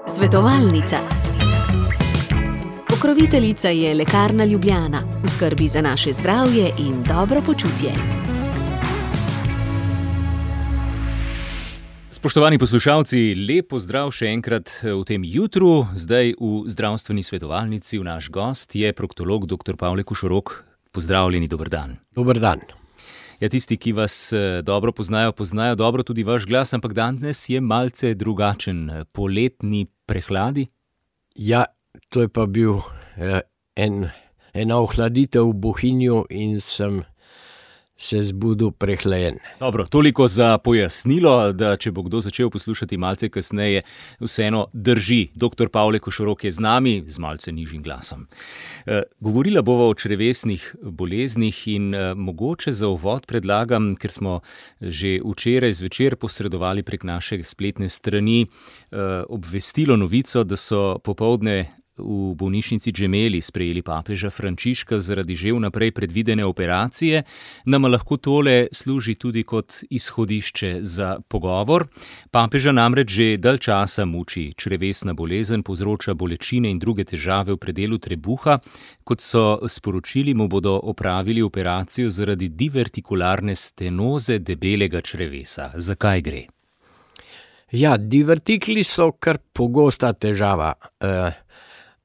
Svetovalnica. Pokroviteljica je Lekarna Ljubljana, v skrbi za naše zdravje in dobro počutje. Spoštovani poslušalci, lep pozdrav še enkrat v tem jutru. Zdaj v zdravstveni svetovalnici naš gost je proktolog dr. Pavle Košorok. Pozdravljeni, dober dan. Dober dan. Ja, tisti, ki vas dobro poznajo dobro tudi vaš glas, ampak danes je malce drugačen. Poletni prehladi? Ja, to je pa bil ena ohladitev v Bohinju in sem se zbudil prehlajen. Dobro, toliko za pojasnilo, da če bo kdo začel poslušati malce kasneje, vseeno drži. Dr. Pavle Košorok je z nami, z malce nižjim glasom. Govorila bova o črevesnih boleznih in mogoče za uvod predlagam, ker smo že včeraj zvečer posredovali prek naše spletne strani obvestilo novico, da so popoldne v bolnišnici Gemelli sprejeli papeža Frančiška zaradi že vnaprej predvidene operacije. Nama lahko tole služi tudi kot izhodišče za pogovor. Papeža namreč že dalj časa muči črevesna bolezen, povzroča bolečine in druge težave v predelu trebuha. Kot so sporočili, mu bodo opravili operacijo zaradi divertikularne stenoze debelega črevesa. Zakaj gre? Ja, divertikli so kar pogosta težava.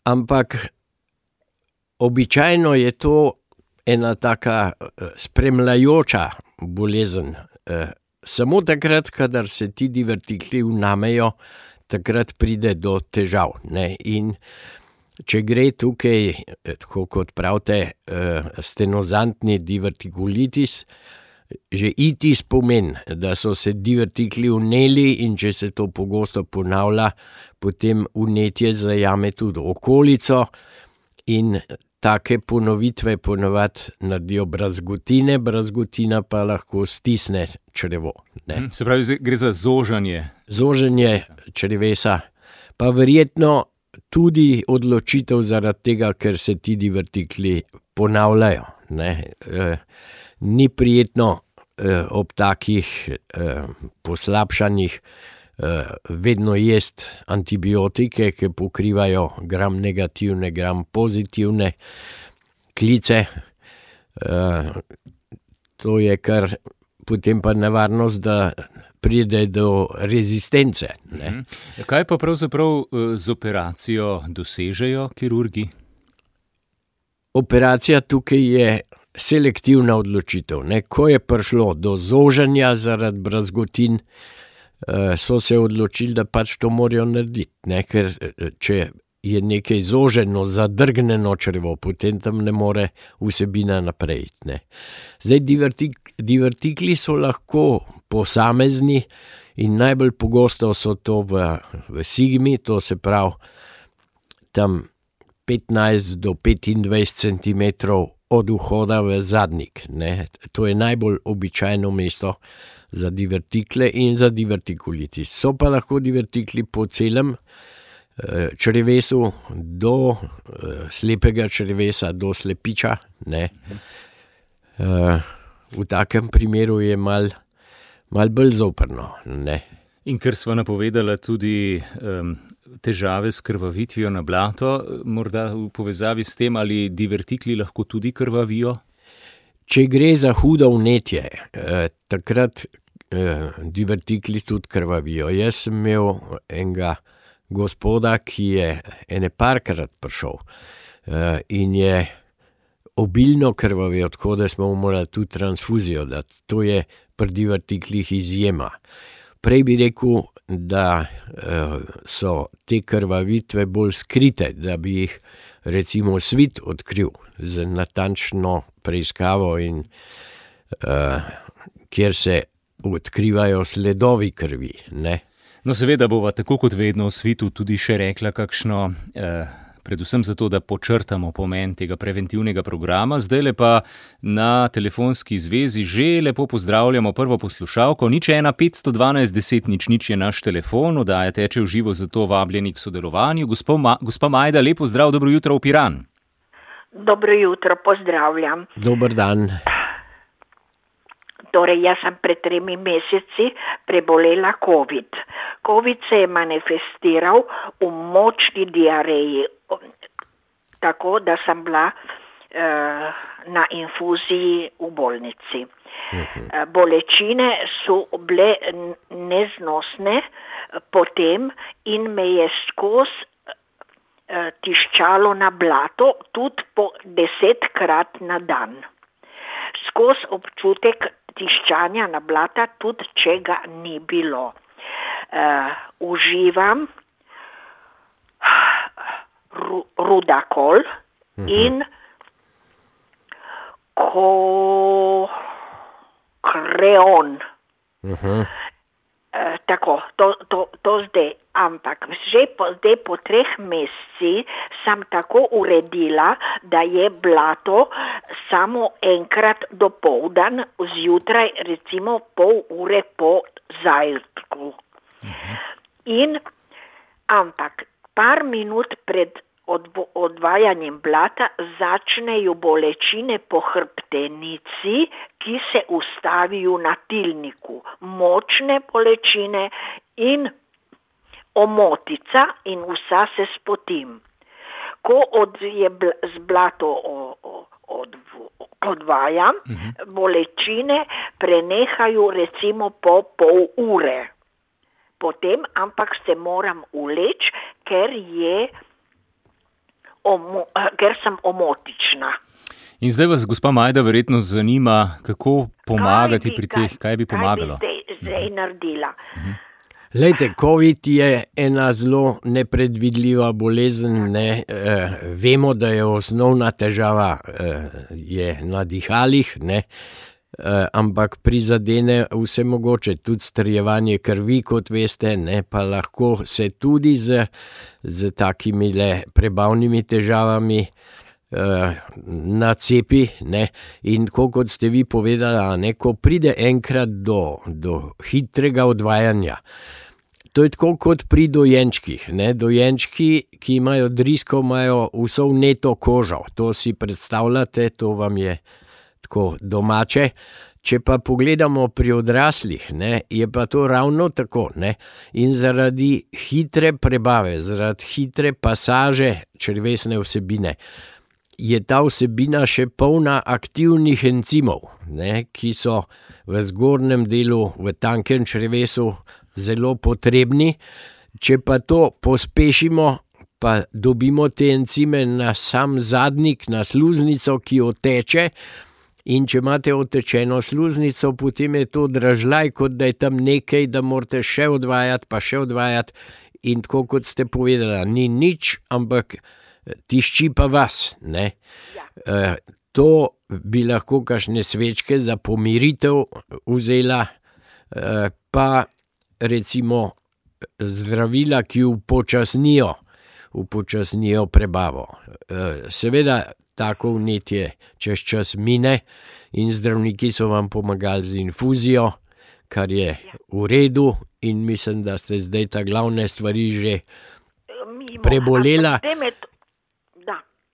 Ampak običajno je to ena taka spremljajoča bolezen. Samo takrat, kadar se ti divertikli vnamejo, takrat pride do težav. Ne? In če gre tukaj, tako kot pravite, stenozantni divertikulitis, že itis pomeni, da so se divertikli vneli in če se to pogosto ponavlja, potem vnetje zajame tudi okolico in take ponovitve ponavadi naredijo brazgotine, brazgotina pa lahko stisne črevo. Ne? Se pravi, gre za zoženje. Zoženje črevesa, pa verjetno tudi odločitev zaradi tega, ker se ti divertikli ponavljajo. Ne? Ni prijetno ob takih poslabšanjih vedno jesti antibiotike, ki pokrivajo gram negativne, gram pozitivne klice. To je kar potem pa nevarnost, da pride do rezistence. Ne? Kaj pa pravzaprav z operacijo dosežejo kirurgi? Operacija tukaj je selektivna odločitev. Ne? Ko je prišlo do zoženja zaradi brazgotin, so se odločili, da pač to morajo narediti. Ne? Ker če je nekaj zoženo, zadrgnjeno črevo, potem tam ne more vsebina naprej. Ne? Zdaj, divertikli so lahko posamezni in najbolj pogosto so to v sigmi, to se pravi tam 15 do 25 centimetrov od vhoda v zadnjik. Ne? To je najbolj običajno mesto za divertikle in za divertikulitis. So pa lahko divertikli po celem črevesu do slepega črevesa, do slepiča. Ne? V takem primeru je mal bolj zoprno. Ne? In ker sva napovedala tudi težave s krvavitvijo na blato, morda v povezavi s tem, ali divertikli lahko tudi krvavijo? Če gre za hudo vnetje, takrat divertikli tudi krvavijo. Jaz sem imel enega gospoda, ki je ene parkrat prišel in je obilno krvavel, tako da smo morali tudi transfuzijo dati. To je pri divertiklih izjema. Prej bi rekel, da so te krvavitve bolj skrite, da bi jih recimo svit odkril z natančno preiskavo in kjer se odkrivajo sledovi krvi. Ne? No, seveda bova tako kot vedno v svitu tudi še rekla kakšno predvsem zato, da počrtamo pomen tega preventivnega programa. Zdajle pa na telefonski zvezi že lepo pozdravljamo prvo poslušalko. 01 512 10 00 je naš telefon, oddaja teče v živo, zato vabljeni k sodelovanju. Gospa Majda, lepo zdrav, dobro jutro v Piran. Dobro jutro, pozdravljam. Dober dan. Torej, jaz sem pred 3 meseci prebolela COVID. COVID se je manifestiral v močni diareji, tako da sem bila na infuziji v bolnici. Bolečine so bile neznosne potem in me je skozi tiščalo na blato, tudi po 10-krat na dan. Skozi občutek tiščanja na blata, tudi če ga ni bilo. Uživam Rudakol in Kreon. Tako, to zdaj, ampak že zdaj po 3 meseci sem tako uredila, da je blato samo enkrat dopoldan, zjutraj recimo pol ure po zajtrku. Ampak par minut pred odvajanjem blata začnejo bolečine po hrbtenici, ki se ustavijo na tilniku. Močne bolečine in omotica in vsa se spotim. Ko z blato odvajam, bolečine prenehajo recimo po pol ure. Potem, ampak se moram uleči, ker sem omotična. In zdaj vas, gospa Majda, verjetno zanima, kako pomagati pri teh, kaj bi pomagalo? Kaj bi zdaj naredila? Lejte, COVID je ena zelo nepredvidljiva bolezen, ne? Vemo, da je osnovna težava je na dihalih, ne? Ampak prizadene vse mogoče, tudi strjevanje krvi, kot veste, ne, pa lahko se tudi z takimi prebavnimi težavami nacepi, ne, in kot ste vi povedala, ne, ko pride enkrat do hitrega odvajanja, to je tako kot pri dojenčkih, ne, dojenčki, ki imajo drisko, imajo vso vneto kožo, to si predstavljate, to vam je tako domače. Če pa pogledamo pri odraslih, ne, je pa to ravno tako, ne, in zaradi hitre prebave, zaradi hitre pasaže črevesne vsebine, je ta vsebina še polna aktivnih encimov, ne, ki so v zgornjem delu, v tankem črevesu zelo potrebni. Če pa to pospešimo, pa dobimo te encime na sam zadnjik, na sluznico, ki oteče, in če imate otečeno sluznico, potem je to dražljaj, kot da je tam nekaj, da morate še odvajati, in tako kot ste povedala, ni nič, ampak tišči pa vas, ne. To bi lahko kakšne svečke za pomiritev vzela, pa recimo zdravila, ki upočasnijo prebavo. Seveda, tako vnetje čez čas mine in zdravniki so vam pomagali z infuzijo, kar je v redu, in mislim, da ste zdaj ta glavne stvari že prebolela.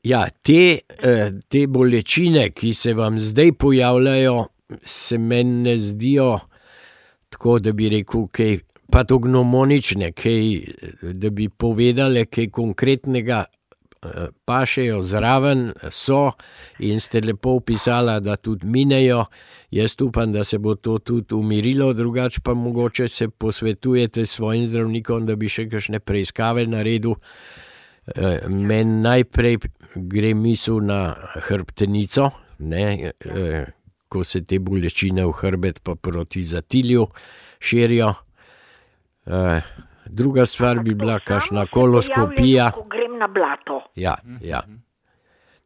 Ja, te bolečine, ki se vam zdaj pojavljajo, se meni ne zdijo tako, da bi rekel, kaj patognomonične, da bi povedale kaj konkretnega, pašejo zraven, so, in ste lepo opisala, da tudi minejo. Jaz upam, da se bo to tudi umirilo, drugače pa mogoče se posvetujete s svojim zdravnikom, da bi še kakšne preiskave naredil. Meni najprej gre misel na hrbtenico, ne, ko se te bolečine v hrbet pa proti zatilju širijo. Druga stvar bi bila kakšna koloskopija. Ko grem na blato. Ja.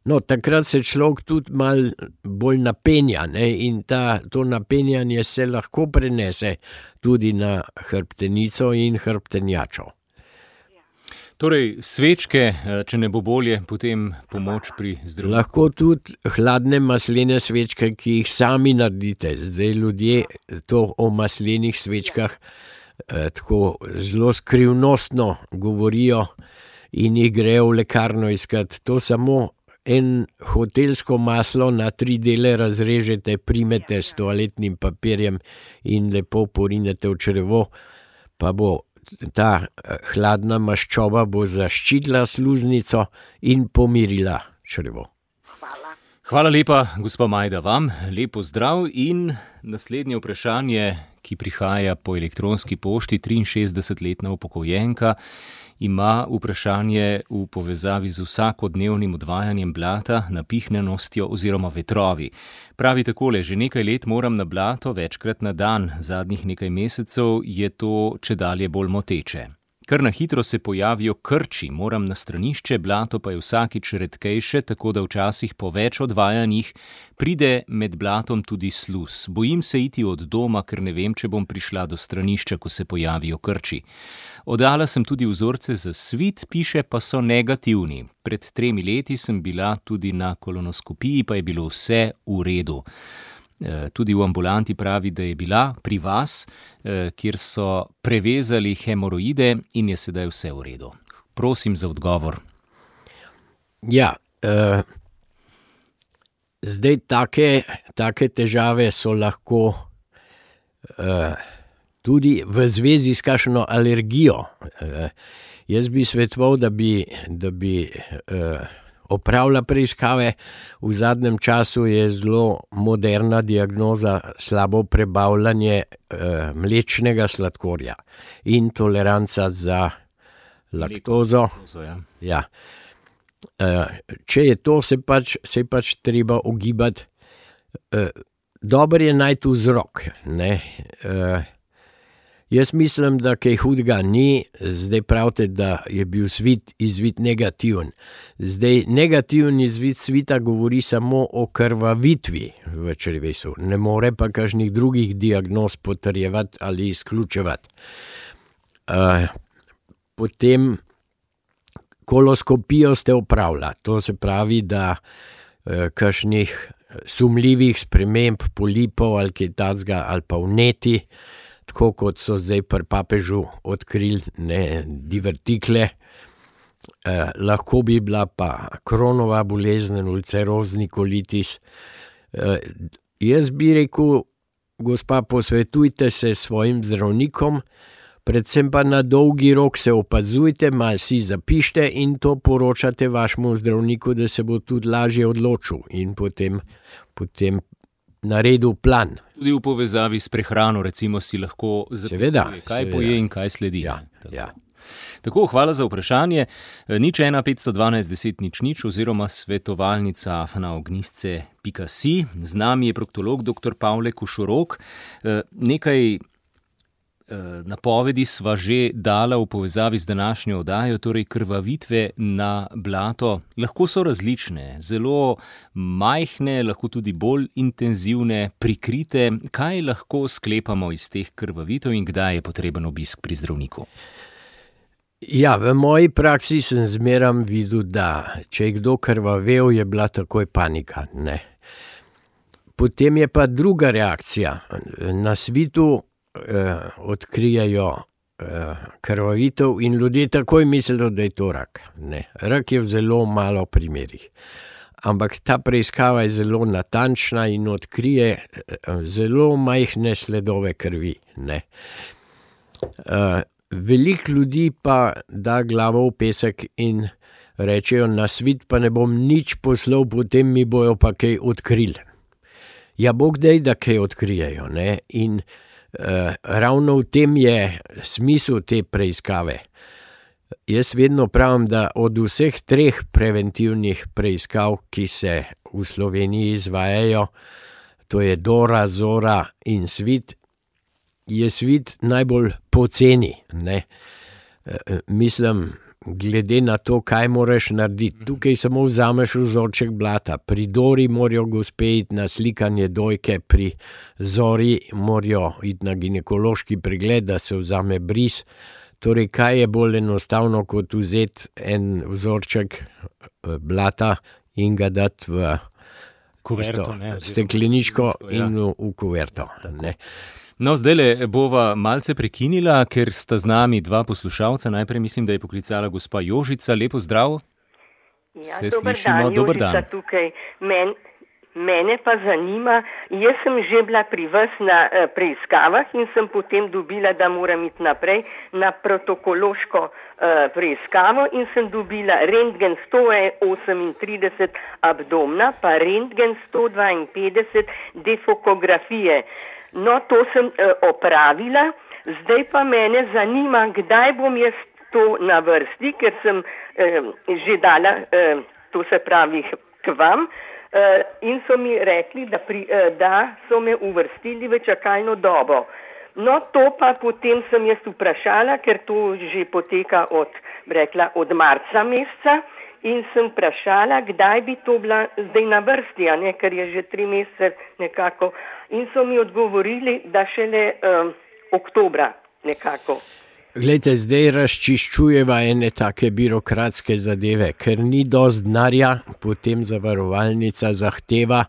No, takrat se človek tudi malo bolj napenja, ne, in to napenjanje se lahko prenese tudi na hrbtenico in hrbtenjačo. Torej, svečke, če ne bo bolje, potem pomoč pri zdravniku. Lahko tudi hladne maslene svečke, ki jih sami naredite. Zdaj ljudje to o maslenih svečkah tako zelo skrivnostno govorijo in jih grejo v lekarno iskat. To samo en hotelsko maslo na 3 dele razrežete, primete s toaletnim papirjem in lepo porinete v črevo, pa bo ta hladna maščoba bo zaščitila sluznico in pomirila črevo. Hvala lepa, gospa Majda, vam. Lep pozdrav in naslednje vprašanje, ki prihaja po elektronski pošti. 63-letna upokojenka ima vprašanje v povezavi z vsakodnevnim odvajanjem blata, napihnjenostjo oziroma vetrovi. Pravi takole, že nekaj let moram na blato večkrat na dan, zadnjih nekaj mesecev je to čedalje bolj moteče. Kar na hitro se pojavijo krči, moram na stranišče, blato pa je vsakič redkejše, tako da včasih po več odvajanjih pride med blatom tudi sluz. Bojim se iti od doma, ker ne vem, če bom prišla do stranišča, ko se pojavijo krči. Oddala sem tudi vzorce za svit, piše, pa so negativni. Pred 3 leti sem bila tudi na kolonoskopiji, pa je bilo vse v redu. Tudi v ambulanti pravi, da je bila pri vas, kjer so prevezali hemoroide in je sedaj vse v redu. Prosim za odgovor. Ja, zdaj take težave so lahko tudi v zvezi s kakšno alergijo. Jaz bi svetoval, da bi opravila preiskave. V zadnjem času je zelo moderna diagnoza slabo prebavljanje mlečnega sladkorja in toleranca za laktozo. Ja. Če je to, se pač treba ugibati. Dobro je najti vzrok, ne. Jaz mislim, da kaj hudega ni, zdaj pravite, da je bil izvid negativen. Zdaj, negativen izvid svita govori samo o krvavitvi v črevesu, ne more pa kakšnih drugih diagnoz potrjevati ali izključevati. Potem koloskopijo ste opravila, to se pravi, da kakšnih sumljivih sprememb polipov ali kaj takega ali pa vneti, tako kot so zdaj pri papežu odkrili divertikle. Lahko bi bila pa Kronova bolezen, ulcerozni kolitis. Jaz bi rekel, gospa, posvetujte se s svojim zdravnikom, predvsem pa na dolgi rok se opazujte, malo si zapište in to poročate vašemu zdravniku, da se bo tudi lažje odločil in potem naredil plan. Tudi v povezavi s prehrano, recimo, si lahko zapisuje, kaj poje in kaj sledi. Ja. Tako, hvala za vprašanje. 01512 10 00 oziroma svetovalnica@ognisce.si. Z nami je proktolog dr. Pavle Košorok. Nekaj napovedi sva že dala v povezavi z današnjo oddajo, torej krvavitve na blato lahko so različne, zelo majhne, lahko tudi bolj intenzivne, prikrite. Kaj lahko sklepamo iz teh krvavitev in kdaj je potreben obisk pri zdravniku? Ja, v moji praksi sem zmeram videl, da če je kdo krvavel, je bila takoj panika, ne. Potem je pa druga reakcija. Na svitu odkrijajo krvavitev in ljudje takoj mislijo, da je to rak. Ne, rak je v zelo malo primerih. Ampak ta preiskava je zelo natančna in odkrije zelo majhne sledove krvi. Ne. Veliko ljudi pa da glavo v pesek in rečejo, na svit pa ne bom nič poslal, potem mi bojo pa kaj odkrili. Ja, Bog dej, da kaj odkrijejo, ne, in ravno v tem je smisel te preiskave. Jaz vedno pravim, da od vseh 3 preventivnih preiskav, ki se v Sloveniji izvajajo, to je Dora, Zora in svit, je svit najbolj poceni, ne. Mislim, glede na to, kaj moraš narediti. Tukaj samo vzameš vzorček blata. Pri Dori morajo gospe iti na slikanje dojke, pri Zori morajo iti na ginekološki pregled, da se vzame bris. Torej, kaj je bolj enostavno, kot vzeti en vzorček blata in ga dati v kuverto, stekleničko in v kuverto. Ne. No, zdajle bova malce prekinila, ker sta z nami 2 poslušalca. Najprej mislim, da je poklicala gospa Jožica. Lepo zdrav. Ja, Se slišimo, dober dan. Jožica tukaj. Mene pa zanima, jaz sem že bila pri vas na preiskavah in sem potem dobila, da moram iti naprej na protokološko preiskavo in sem dobila rentgen 138 abdomna, pa rentgen 152 defokografije. No, to sem opravila, zdaj pa mene zanima, kdaj bom jaz to na vrsti, ker sem že dala, to se pravi k vam, in so mi rekli, da so me uvrstili v čakalno dobo. No, to pa potem sem jaz vprašala, ker to že poteka od marca meseca in sem vprašala, kdaj bi to bila zdaj na vrsti, a ne, ker je že 3 mesece nekako. In so mi odgovorili, da šele oktobra nekako. Glejte, zdaj razčiščujeva ene take birokratske zadeve, ker ni dosti denarja, potem zavarovalnica zahteva,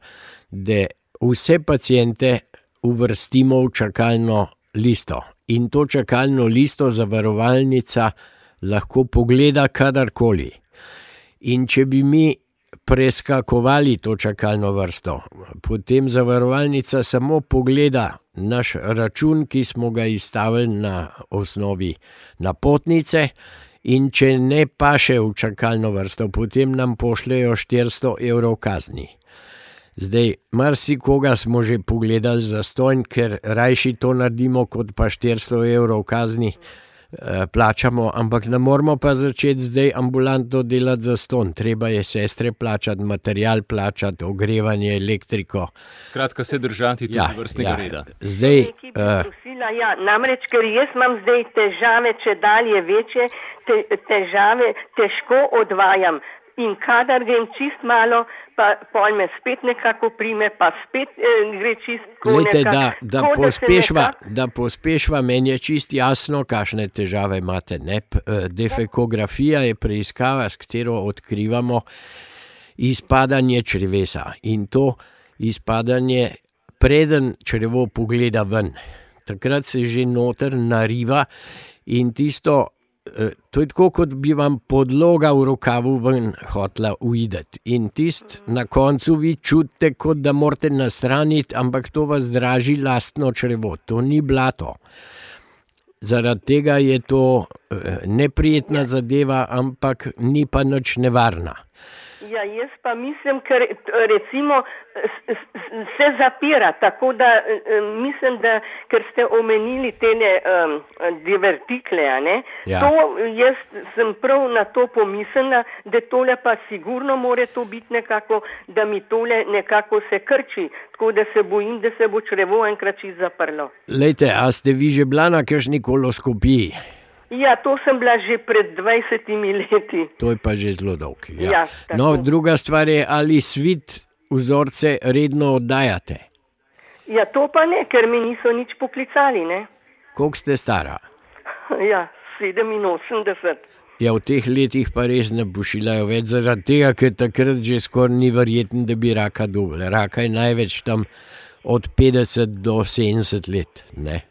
da vse paciente uvrstimo v čakalno listo. In to čakalno listo zavarovalnica lahko pogleda kadarkoli. In če bi mi preskakovali to čakalno vrsto, potem zavarovalnica samo pogleda naš račun, ki smo ga izstavili na osnovi napotnice, in če ne paše v čakalno vrsto, potem nam pošljejo 400 evrov kazni. Zdaj, marsikoga smo že pogledali zastonj, ker rajši to naredimo, kot pa 400 evrov kazni plačamo, ampak ne moramo pa začeti zdaj ambulantno delati zastonj. Treba je sestre plačati, material plačati, ogrevanje, elektriko. Skratka, se držati tudi vrstnega reda. Zdaj, namreč, ker jaz imam zdaj težave, če dalje večje, težave težko odvajam. In kadar grem čist malo, pa pol me spet nekako prime, pa spet gre čist nekako. Da pospešva, meni je čist jasno, kakšne težave imate. Defekografija je preiskava, s katero odkrivamo izpadanje črevesa. In to izpadanje preden črevo pogleda ven. Takrat se že noter nariva in tisto, to je tako, kot bi vam podloga v rokavu ven hotla uideti. In na koncu vi čutite, kot da morate nastraniti, ampak to vas draži lastno črevo. To ni blato. Zaradi tega je to neprijetna zadeva, ampak ni pa nič nevarna. Ja, jaz pa mislim, ker recimo se zapira, tako da mislim, da ker ste omenili tele divertikle, a ne? Ja. To jaz sem prav na to pomislila, da tole pa sigurno more to biti nekako, da mi tole nekako se krči, tako da se bojim, da se bo črevo enkrat čisto zaprlo. Lejte, a ste vi že bila na kakšni koloskopiji? Ja, to sem bila že pred 20 leti. To je pa že zelo dolg. Ja. Ja, no, druga stvar je, ali svit vzorce redno oddajate? Ja, to pa ne, ker mi niso nič poklicali, ne. Koliko ste stara? Ja, 87. Ja, v teh letih pa res ne pošiljajo več, zaradi tega, ker takrat že skoraj ni verjetno, da bi raka dobili. Raka je največ tam od 50 do 70 let, ne.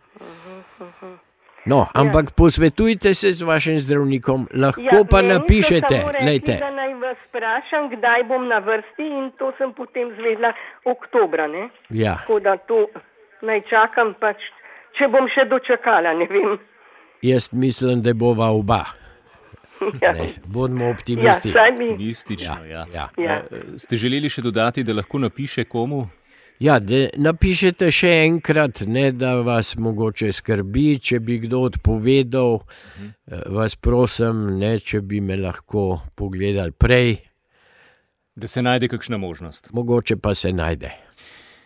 No, ampak posvetujte se z vašim zdravnikom, lahko pa napišete. Lejte. Da naj vas vprašam, kdaj bom na vrsti, in to sem potem zvedla oktobra, ne? Ja. Tako da to naj čakam pač, če bom še dočakala, ne vem. Jaz mislim, da bova oba. Ja. Bodimo optimisti. Ja, optimistično, ja. Ste želeli še dodati, da lahko napiše komu? Ja, da napišete še enkrat, ne da vas mogoče skrbi, če bi kdo odpovedal, vas prosim, ne, če bi me lahko pogledali prej. Da se najde kakšna možnost. Mogoče pa se najde.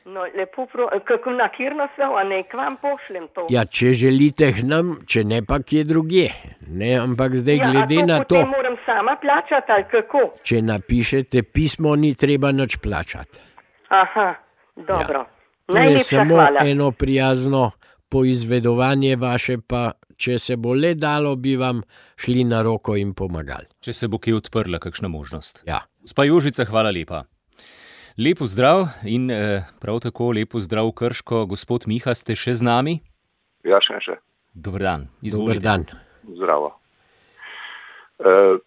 No, lepo kako na kjerno se, a ne k vam pošljem to? Ja, če želite k nam, če ne pa kje drugje. Ne, ampak zdaj glede na to... Ja, a to potem moram sama plačati, ali kako? Če napišete pismo, ni treba nič plačati. Aha. Dobro, ja. To je samo eno prijazno poizvedovanje vaše, pa če se bo le dalo, bi vam šli na roko in pomagali. Če se bo kje odprla kakšna možnost. Ja. Gospa Jožica, hvala lepa. Lep pozdrav in prav tako lep pozdrav Krško. Gospod Miha, ste še z nami? Ja, še. Dober dan, izvolite. Dober dan. Zdravo.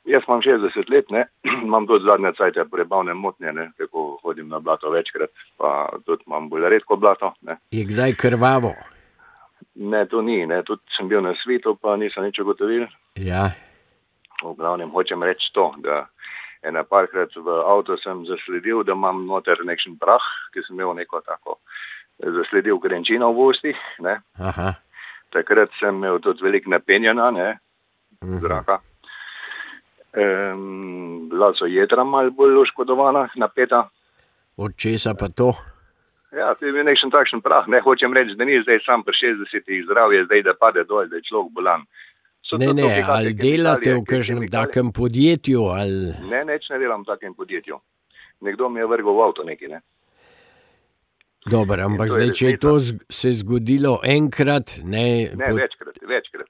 Jaz imam 60 let, ne, imam tudi zadnje cajte prebavne motnje, ne, tako hodim na blato večkrat, pa tudi imam bolj redko blato, ne. Je kdaj krvavo? Ne, to ni, ne, tudi sem bil na svitu, pa nisem nič ugotovil. Ja. V glavnem hočem reči to, da ena parkrat v avto sem zasledil, da imam noter nekšen prah, ki sem imel neko tako, zasledil krenčino v ustih, ne. Aha. Takrat sem imel tudi veliko napenjena, ne, zraka. Bila so jedra malo bolj oškodovana, napeta. Od česa pa to? Ja, to je bil nekšen takšen prah, ne, hočem reči, da ni zdaj sam pri 60-ih zdravje, zdaj da pade dol, da je človek bolan. Ne, ali delate v kakšnem takem podjetju, ali... Ne, nič ne delam v takem podjetju. Nekdo mi je vrgel v avto neki, ne. Dobro, ampak zdaj, če je to se zgodilo enkrat, ne... Ne, večkrat.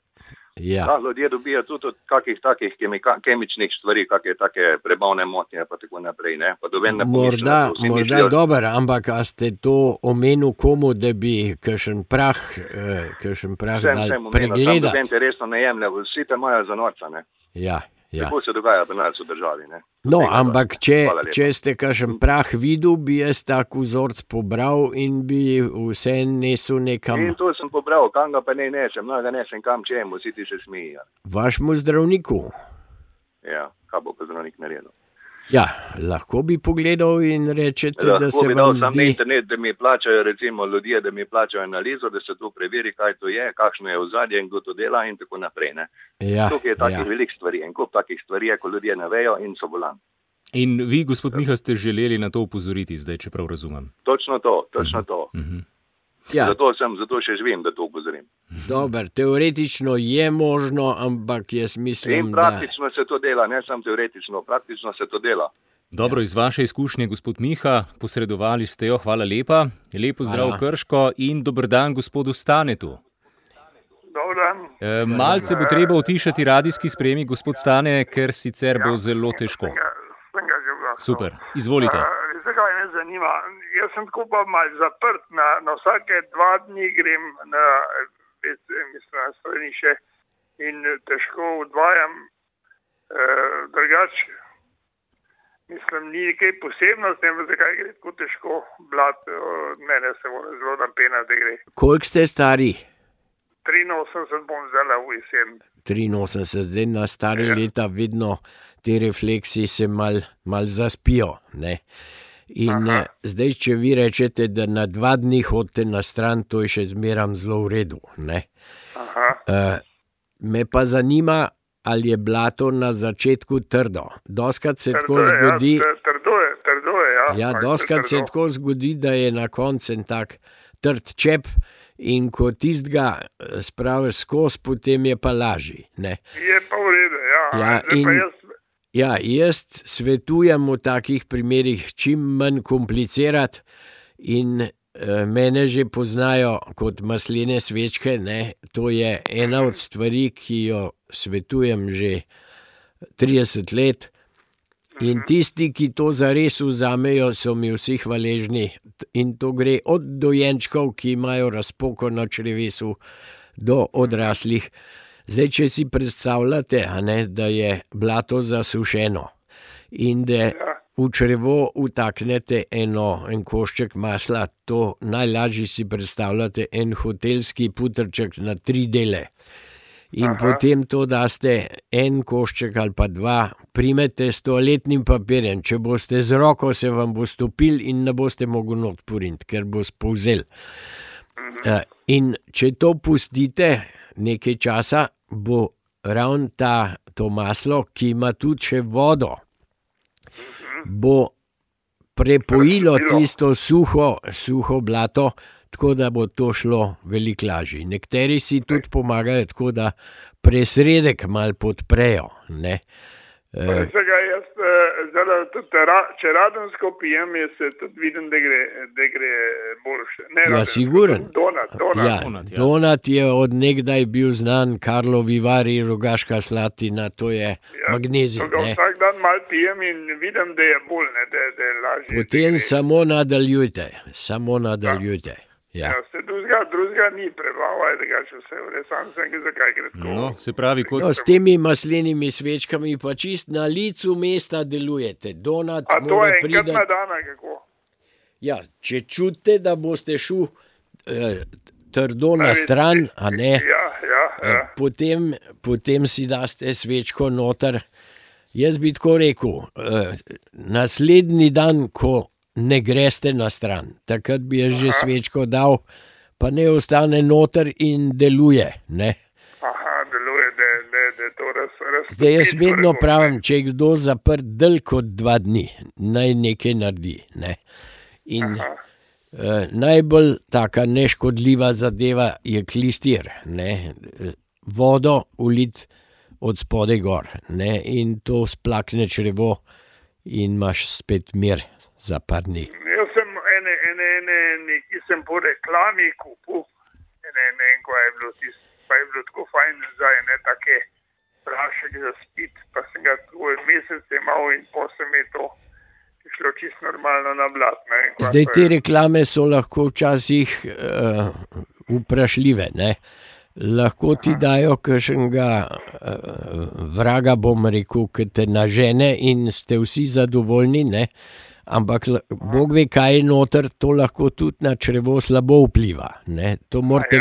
Ja. Da, ljudje dobijo tudi od kakih takih kemičnih stvari, kakšne take prebavne motnje, pa tako naprej, ne. Pa morda dobro, ampak a ste to omenil komu, da bi kakšen prah dal pregledati? Sem te resno ne jemlja, vsi te imajo za norca, ne. Ja. Tako se dogaja pri nas v državi, ne. No, ampak če ste kakšen prah videl, bi jaz tak vzorc pobral in bi vse nesel nekam. In to sem pobral, kam ga pa ne nesem, ga nesem kam čemu, vsi ti se smijo. Vašemu zdravniku? Ja, kaj bo pa zdravnik naredil? Ja, lahko bi pogledal in rečete, da se vam zdi... Lahko bi dal sam na internet, da mi plačajo recimo ljudje, da mi plačajo analizo, da se to preveri, kaj to je, kakšno je ozadje in kdo to dela in tako naprej, ne. Ja, tukaj je takih velik stvari, en kup takih stvari, ko ljudje ne vejo in so bolani. In vi, gospod Miha, ste želeli na to upozoriti zdaj, če prav razumem. Točno to. Ja. Zato še živim, da to upozorim. Dober, teoretično je možno, ampak jaz mislim, in praktično se to dela, ne samo teoretično, praktično se to dela. Dobro, iz vaše izkušnje, gospod Miha, posredovali ste jo, hvala lepa. Lepo zdrav Krško in dober dan gospodu Stanetu. Dober dan. Malce bo treba utišati radijski sprejemnik, gospod Stane, ker sicer bo zelo težko. Sem ga že vlasno. Super, izvolite. Zakaj me zanima? Jaz sem tako pa malo zaprt, na vsake 2 dni grem na stranišče in težko odvajam drugače. Mislim, ni nekaj posebnosti, ampak zakaj gre tako težko blat, od mene se mora zelo napena, da gre. Koliko ste stari? 83 bom zdaj v jesen. 83, zdaj na stare leta vedno te refleksi se mal zaspijo, ne. In zdaj, če vi rečete, da na 2 dni hodite na stran, to je še zmeram zelo v redu, ne. Me pa zanima, ali je blato na začetku trdo. Doskrat se tako zgodi... Trdo je, ja. Ja, doskrat se tako zgodi, da je na koncu en tak trd čep in ko tistega spraviš skozi, potem je pa lažji, ne. Je pa v redu, ja. Ja, jaz svetujem v takih primerih čim manj komplicirati in mene že poznajo kot maslene svečke, ne. To je ena od stvari, ki jo svetujem že 30 let in tisti, ki to zares vzamejo, so mi vsi hvaležni in to gre od dojenčkov, ki imajo razpoko na črevesu, do odraslih. Zdaj, če si predstavljate, da je blato zasušeno in da v črevo vtaknete en košček masla, to najlažje si predstavljate en hotelski putrček na 3 dele. In potem to daste en košček ali pa 2, primete s toaletnim papirjem, če boste z roko, se vam bo stopil in ne boste mogli not puriniti, ker bo spolzel. In če to pustite nekaj časa, bo ravno to maslo, ki ima tudi še vodo, bo prepojilo tisto suho blato, tako da bo to šlo veliko lažje. Nekateri si tudi pomagajo tako, da presredek malo podprejo, ne. Jaz če radensko pijem, jaz se tudi vidim, da gre boljše. Ja, siguren. Donat je od nekdaj bil znan, Karlo Vivari, Rogaška Slatina, to je magnezij. Vsak dan malo pijem in vidim, da je bolj, da je lažje. Potem samo nadaljujte. Ja. Se drugega ni prebaval, da če vse vre, sam sem ga zakaj gre tako. No, se pravi, kot No, s temi maslenimi svečkami pa čist na licu mesta delujete. Donat A to mora je enkrat priti. na dan, ali kako? Ja, če čutite, da boste šel trdo na stran, a ne, Ja. potem si daste svečko noter. Jaz bi tako rekel, naslednji dan, ko ne greste na stran, takrat bi jaz že svečko dal, pa ne ostane noter in deluje. Ne? Aha, deluje, da to raztopi. Zdaj jaz vedno pravim, če je kdo zaprt dlje kot 2 dni, naj nekaj naredi. Ne? In najbolj taka neškodljiva zadeva je klistir. Ne? Vodo uliti od spodaj gor, ne? In to splakne črevo in imaš spet mir za par dni. Jaz sem neki sem po reklami kupil, ko je bilo pa je bilo tako fajn za take prašek za spit, pa sem ga tako mesec imel in potem je to šlo čisto normalno na blat. Zdaj te reklame so lahko včasih vprašljive, ne? Lahko ti dajo kakšnega vraga, bom rekel, ki te nažene in ste vsi zadovoljni, ne? Ampak Bog ve, kaj je noter, to lahko tudi na črevo slabo vpliva. Ne? To morate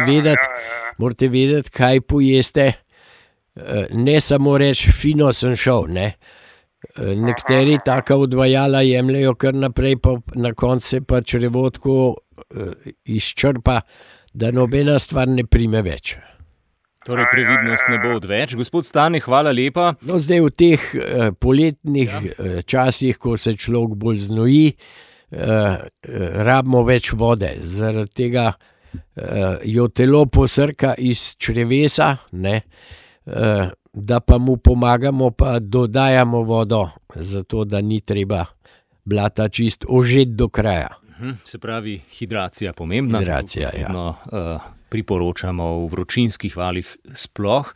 vedeti, kaj pojeste, ne samo reči, fino sem šel. Ne? Nekateri taka odvajala jemljajo kar naprej, pa na koncu se pa črevo tako izčrpa, da nobena stvar ne prime več. Torej, previdnost ne bo odveč. Gospod Stane, hvala lepa. No, zdaj v teh poletnih časih, ko se človek bolj znoji, rabimo več vode. Zaradi tega jo telo posrka iz črevesa, ne, da pa mu pomagamo, pa dodajamo vodo, zato da ni treba blata čist ožeti do kraja. Se pravi, hidracija pomembna. Hidracija, ja. Priporočamo v vročinskih valih sploh.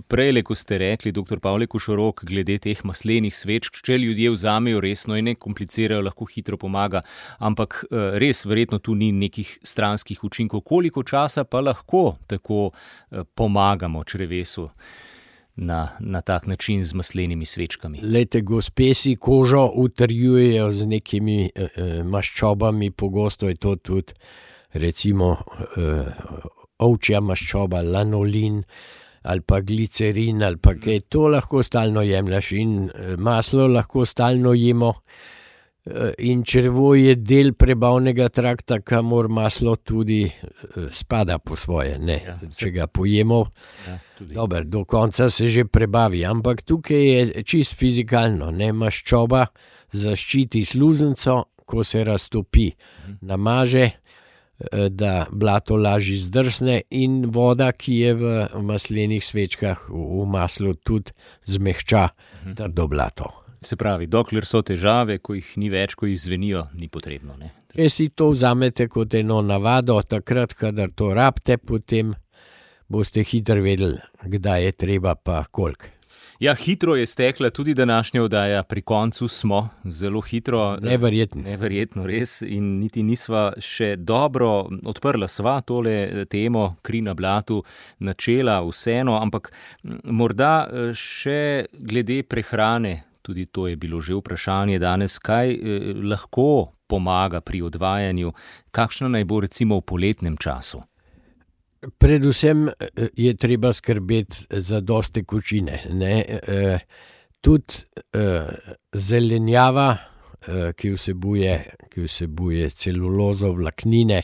Prejle, ko ste rekli, dr. Pavle Košorok, glede teh maslenih svečk, če ljudje vzamejo resno in ne komplicirajo, lahko hitro pomaga, ampak res verjetno tu ni nekih stranskih učinkov. Koliko časa pa lahko tako pomagamo črevesu na tak način z maslenimi svečkami? Lejte, gospe si kožo utrjujejo z nekimi maščobami, pogosto je to tudi recimo ovčja maščoba, lanolin ali pa glicerin ali pa kaj, to lahko stalno jemljaš in maslo lahko stalno jemo in črevo je del prebavnega trakta, kamor maslo tudi spada po svoje, ne, če ga pojemo, dober, do konca se že prebavi, ampak tukaj je čist fizikalno, ne, maščoba zaščiti sluznico, ko se raztopi, namaže, da blato lažje zdrsne in voda, ki je v maslenih svečkah v maslu, tudi zmehča trdo blato. Se pravi, dokler so težave, ko jih ni več, ko jih zvenijo, ni potrebno. Ne? Če si to vzamete kot eno navado, takrat, kadar to rabite, potem boste hitro vedeli, kdaj je treba pa koliko. Ja, hitro je stekla tudi današnja oddaja, pri koncu smo, zelo hitro. Neverjetno res in niti nisva še dobro odprla sva tole temo, kri na blatu, načela, vseeno, ampak morda še glede prehrane, tudi to je bilo že vprašanje danes, kaj lahko pomaga pri odvajanju, kakšna naj bo recimo v poletnem času? Predvsem je treba skrbeti za dosti tekočine. Tudi zelenjava, ki vsebuje celulozo, vlaknine,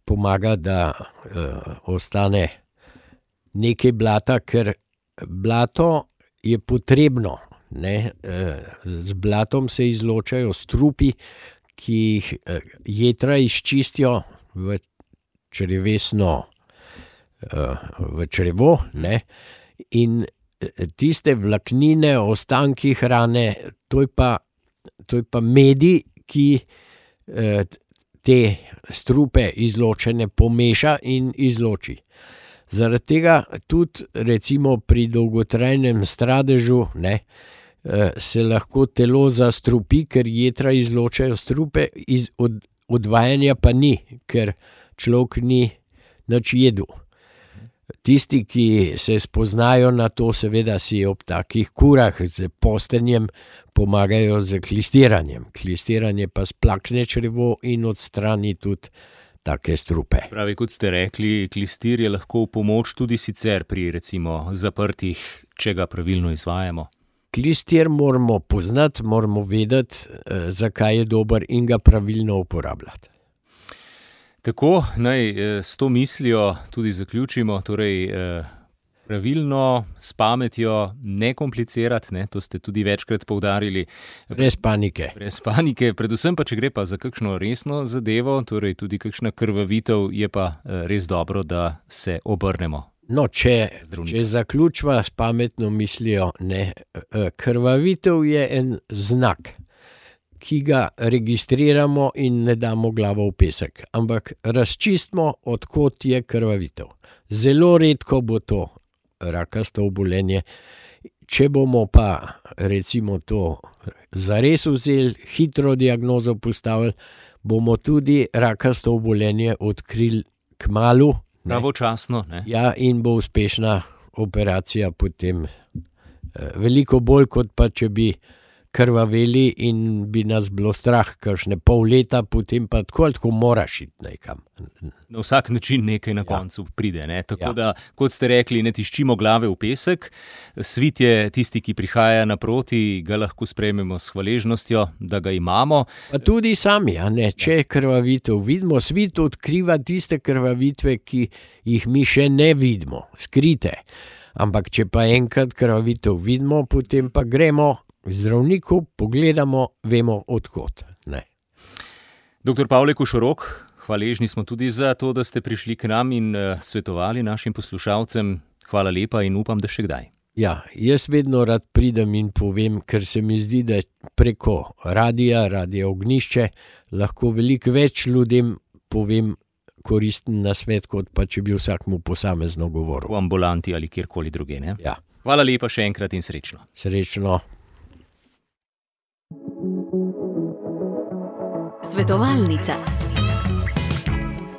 pomaga, da ostane nekaj blata, ker blato je potrebno. Z blatom se izločajo strupi, ki jih jetra izčistijo v črevo, ne? In tiste vlaknine, ostanki hrane, to je pa medij, ki te strupe izločene pomeša in izloči. Zaradi tega tudi recimo pri dolgotrajnem stradežu, ne, se lahko telo zastrupi, ker jetra izločajo strupe, odvajanja pa ni, ker človek ni nič jedel. Tisti, ki se spoznajo na to, seveda si ob takih kurah z postenjem pomagajo z klistiranjem. Klistiranje pa splakne črevo in odstrani tudi take strupe. Pravi, kot ste rekli, klistir je lahko v pomoč tudi sicer pri recimo zaprtih, če ga pravilno izvajamo. Klistir moramo poznati, moramo vedeti, zakaj je dober in ga pravilno uporabljati. Tako, naj s to mislijo tudi zaključimo, torej pravilno, s pametjo, ne komplicirati, ne, to ste tudi večkrat poudarili. Brez panike. Brez panike, predvsem pa, če gre pa za kakšno resno zadevo, torej tudi kakšna krvavitev, je pa res dobro, da se obrnemo. No, če zaključva s pametno mislijo, ne, krvavitev je en znak, ki ga registriramo in ne damo glavo v pesek, ampak razčistimo, odkot je krvavitev. Zelo redko bo to rakasto obolenje. Če bomo pa recimo to zares vzeli, hitro diagnozo postavili, bomo tudi rakasto obolenje odkrili kmalu. Pravočasno, ne? Ja, in bo uspešna operacija potem veliko bolj, kot pa če bi krvaveli in bi nas bilo strah kakšne pol leta, potem pa tako moraš iti nekam. Na vsak način nekaj na koncu pride, ne? Tako da, kot ste rekli, ne tiščimo glave v pesek. Svit je tisti, ki prihaja naproti, ga lahko sprejmemo s hvaležnostjo, da ga imamo. Pa tudi sami, a ne, če krvavitev vidimo, svit odkriva tiste krvavitve, ki jih mi še ne vidimo, skrite. Ampak če pa enkrat krvavitev vidimo, potem pa gremo zdravniku, pogledamo, vemo odkot. Ne. Dr. Pavle Košorok, hvaležni smo tudi za to, da ste prišli k nam in svetovali našim poslušalcem. Hvala lepa in upam, da še kdaj. Ja, jaz vedno rad pridem in povem, ker se mi zdi, da preko radia Ognišče, lahko veliko več ljudem povem koristen nasvet, kot pa če bi vsakmu posamezno govoril. V ambulanti ali kjerkoli druge, ne? Ja. Hvala lepa še enkrat in srečno. Srečno. Svetovalnica.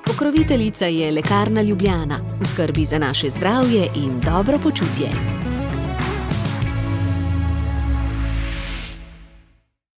Pokroviteljica je Lekarna Ljubljana. V skrbi za naše zdravje in dobro počutje.